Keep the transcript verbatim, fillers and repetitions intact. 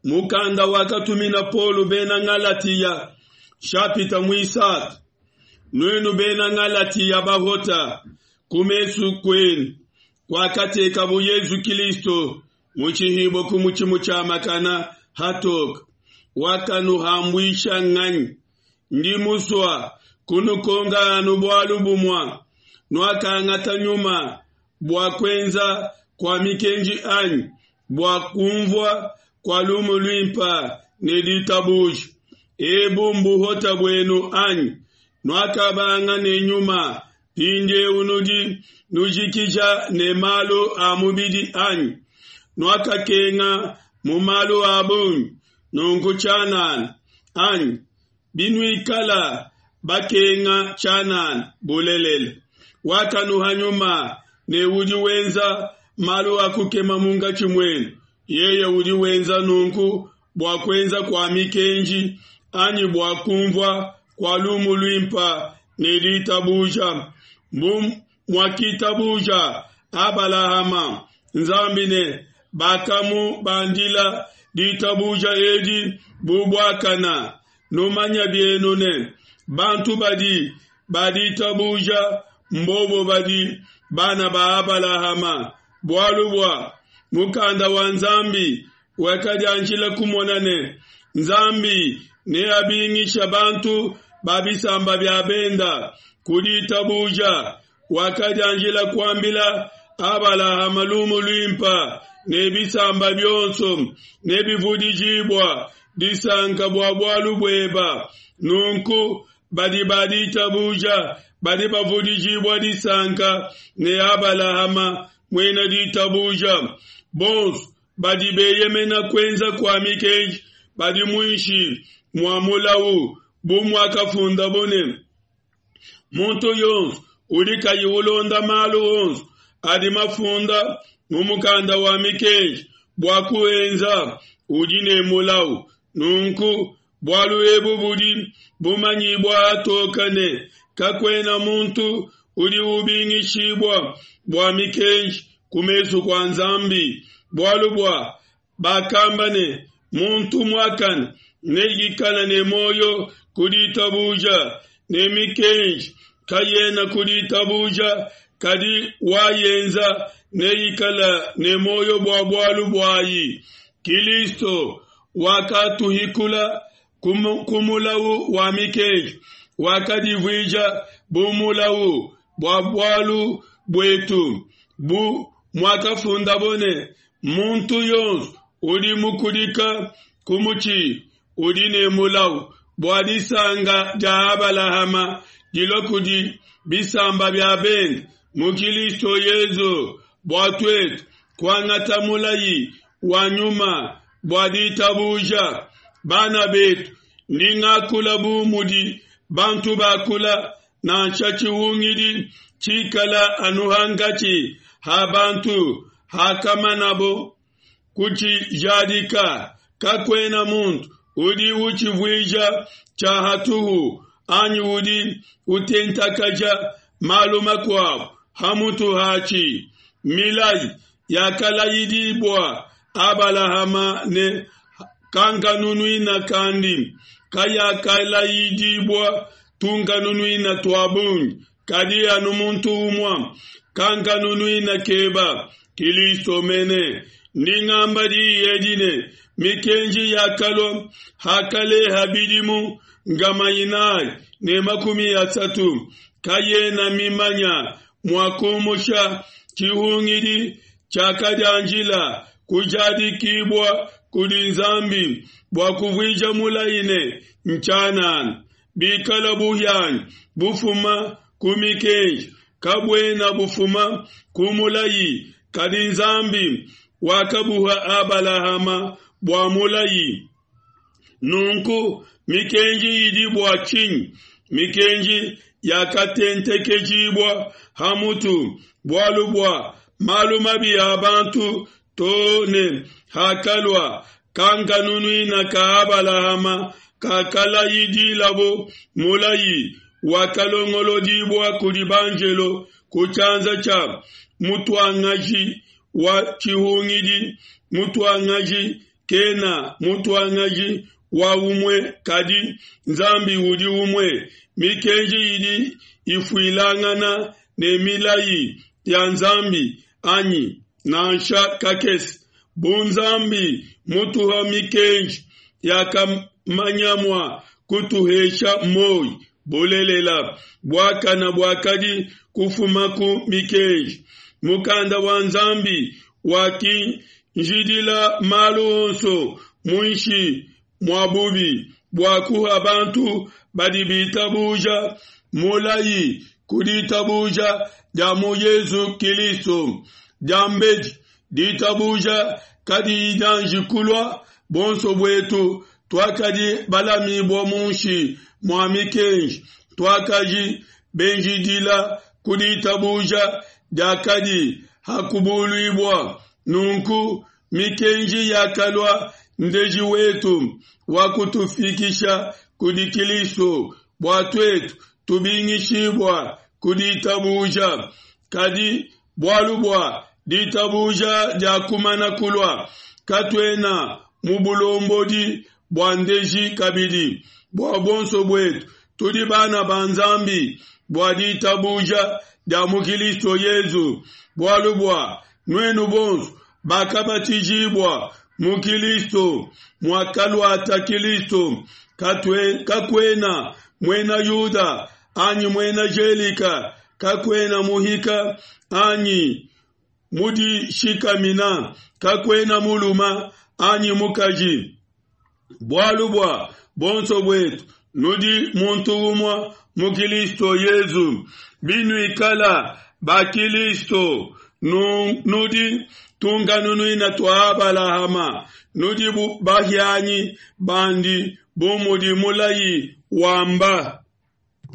Mukanda wakatumina Paulo bena Ngalatiya, nshapita muisatu. Nuenu bena Ngalatiya bahota, ku mesu kuenu kuakatekabo Yesu Kilisto mushihibue ku mutshi mutshiamakana hatoke. Wakanuhambuisha nganyi? Ndi musua kunukonka anu bualu bumue: nuakangata Nyuma bua kuenza kua mikenji anyi bua kunvua kua lumu luimpe ne ditabuja? Ebu mbuhota buenu anyi? Nuakabanga ne Nyuma, mpindieu nudi nujikija ne malu a mubidi anyi? Nuakakenga mu malu a bungi nunku tshianana anyi? Binuikala bakenga tshianana bulelela, wakanuha Nyuma ne udi wenza malu a kukema munkatshi muenu, yeye udi wenza nunku bua kuenza kua mikenji anyi bua kunvua kua lumu luimpe ne ditabuja? Bu muakitabuja Abalahama Nzambi ne bakamubandila ditabuja edi bu buakana. Numanya bienu ne, bantu badi ba ditabuja mbobo badi bana ba Abalahama. Bualu bua mukanda wa Nzambi wakadianjila kumona ne, Nzambi neabingisha bantu ba bisamba bia benda ku ditabuja, wakadianjila kuambila Abalahama lumu luimpe ne bisamba bionso nebivudijibua disanka bua bualu bueba. Nunku badi ba ditabuja badi bavudijibua disanka ne Abalahama muena ditabuja. Bonso badi beyemena kuenza kua mikenji badi muinshi mua mulawu, bu muakafundabo ne, muntu yonso udi kayi ulonda malu onso adi mafunda mu mukanda wa mikenji bua kuenza udi ne mulawu. Nunku bualu ebu budi bumanyibua hatoke ne, kakuena muntu udi ubingishibua bua mikenji ku mesu kua Nzambi. Bualu bua bakamba ne, muntu muakane neikale ne muoyo ku ditabuja, ne mikenji kayena ku ditabuja, kadi wayenza neikale ne muoyo bua bualu buayi. Kilisto wakatuhikula ku mulawu wa mikenji, wakadivuija bu mulawu bua bualu buetu, bu muakafundabo ne, muntu yonso udi mukudika ku mutshi udi ne mulawu, bua disanka dia Abalahama dilua kudi bisamba bia bende mu Kilisto Yesu, bua tuetu kuangata mulayi wa Nyuma bua ditabuja. Bana betu, ndi ngakula bu mudi bantu bakula, nansha tshihungidi tshikala anu hankatshi ha bantu hakamanabo kutshijadika, kakuena muntu udi utshivuija tshia hatuhu anyi udi utentakaja malu makuabu hamutu hatshi. Milayi yakalayidibua Abalahama ne kankanunuina kandi kayakalayidibua tunkanunuina tua bungi, kadi anu muntu umue, kankanunuina keba, Kilisto mene. Ndi ngamba diyi edi ne, mikenji yakalua hakaleha bidimu nkama inayi ne makumi asatu, kayena mimanya mua kumusha tshihungidi tshiakadianjila kujadikibua kudi Nzambi bua kuvuija mulayi ne ntshianana. Bikala buhianyi bufuma ku mikenji, kabuena bufuma ku mulayi, kadi Nzambi wakabuha Abalahama bua mulayi. Nunku mikenji idi bua tshinyi? Mikenji yakatentekejibua ha mutu bualu bua malu mabi a bantu to ne hakalua kankanunuina ka Abalahama kakalayidilabo mulayi wakalongolodibua kudi banjelo ku tshianza tshia mutuangaji wa tshihungidi. Mutuangaji kena mutuangaji wa umue kadi Nzambi udi umue. Mikenji idi ifuilangana ne milayi ya Nzambi, anyi? Nansha kakese! Bu Nzambi mutuha mikenji, yakamanya mua kutuhesha moi. Bulelela, buakana buakadi kufuma ku mikenji. Mukanda wa Nzambi wakinjidila malu onso muinshi mua bubi, bua kuha bantu badi bitabuja mulayi ku ditabuja dia mu Yesu Kilisto. Diambedi ditabuja kadiyi dianji kulua, buonso buetu tuakadi balamibue munshi mua mikenji, tuakadi benjidila ku ditabuja diakadi ha kubuluibua. Nunku mikenji yakalua ndeji wetu wa kutufikisha kudi Kilisto, bua tuetu tubingishibua ku ditabuja. Kadi bualu bua ditabuja diakumana kulua, katuena mu bulombodi bua ndeji kabidi. Bua buonso buetu tudi bana ba Nzambi bua ditabuja dia mu Kilisto Yesu. Bualu bua nuenu bonso bakabatijibua mu Kilisto muakaluata Kilisto, katue kakuena muena Yuda anyi muena Gelika, kakuena muhika anyi mudishikamina, kakuena mulume anyi mukaji. Bualu bua buonso buetu nudi muntu umue mu Kilisto Yesu. Binuikala ba Kilisto, nudi tunkanunuina tua Abalahama, nudi bahianyi bandi bu mudi mulayi wamba.